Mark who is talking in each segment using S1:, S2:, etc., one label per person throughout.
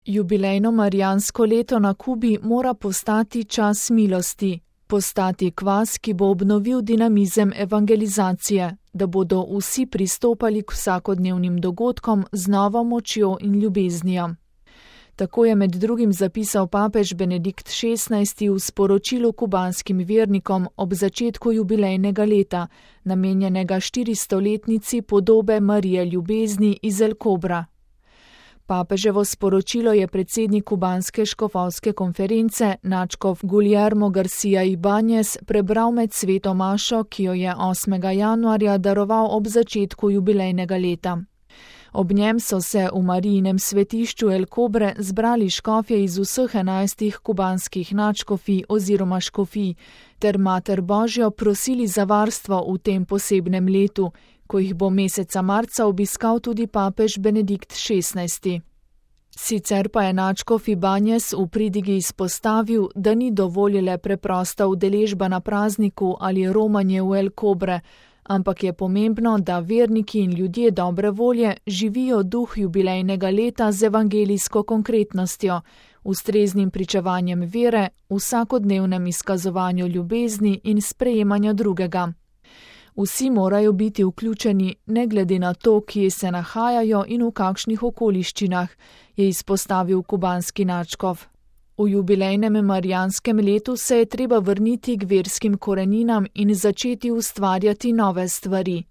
S1: Jubilejno marijansko leto na Kubi mora postati čas milosti, postati kvas, ki bo obnovil dinamizem evangelizacije, da bodo vsi pristopali k vsakodnevnim dogodkom z novo močjo in ljubeznijo. Tako je med drugim zapisal papež Benedikt XVI v sporočilu kubanskim vernikom ob začetku jubilejnega leta, namenjenega 400-letnici podobe Marije ljubezni iz El Cobra. Papeževo sporočilo je predsednik kubanske škofovske konference, nadškof Guillermo García Ibáñez, prebral med sveto mašo, ki jo je 8. januarja daroval ob začetku jubilejnega leta. Ob njem so se v Marijinem svetišču El Cobre zbrali škofje iz vseh 11 kubanskih nadškofij oziroma škofij, ter Mater Božjo prosili za varstvo v tem posebnem letu, ko jih bo meseca marca obiskal tudi papež Benedikt XVI. Sicer pa je nadškof Ibáñez v pridigi izpostavil, da ni dovolj le preprosta udeležba na prazniku ali romanje v El Cobre, ampak je pomembno, da verniki in ljudje dobre volje živijo duh jubilejnega leta z evangelijsko konkretnostjo, ustreznim pričevanjem vere, vsakodnevnem izkazovanju ljubezni in sprejemanju drugega. Vsi morajo biti vključeni, ne glede na to, kje se nahajajo in v kakšnih okoliščinah, je izpostavil kubanski nadškof. V jubilejnem marijanskem letu se je treba vrniti k verskim koreninam in začeti ustvarjati nove stvari.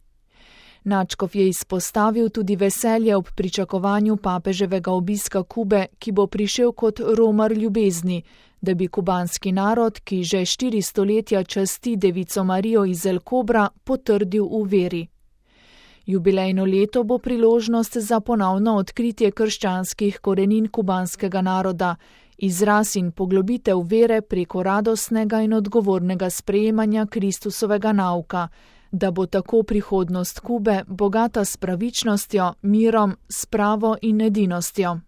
S1: Nadškof je izpostavil tudi veselje ob pričakovanju papeževega obiska Kube, ki bo prišel kot romar ljubezni, da bi kubanski narod, ki že 4 stoletja časti Devico Marijo iz El Cobra, potrdil v veri. Jubilejno leto bo priložnost za ponovno odkritje krščanskih korenin kubanskega naroda, izraz in poglobitev vere preko radostnega in odgovornega sprejemanja Kristusovega nauka, da bo tako prihodnost Kube bogata s pravičnostjo, mirom, spravo in edinostjo.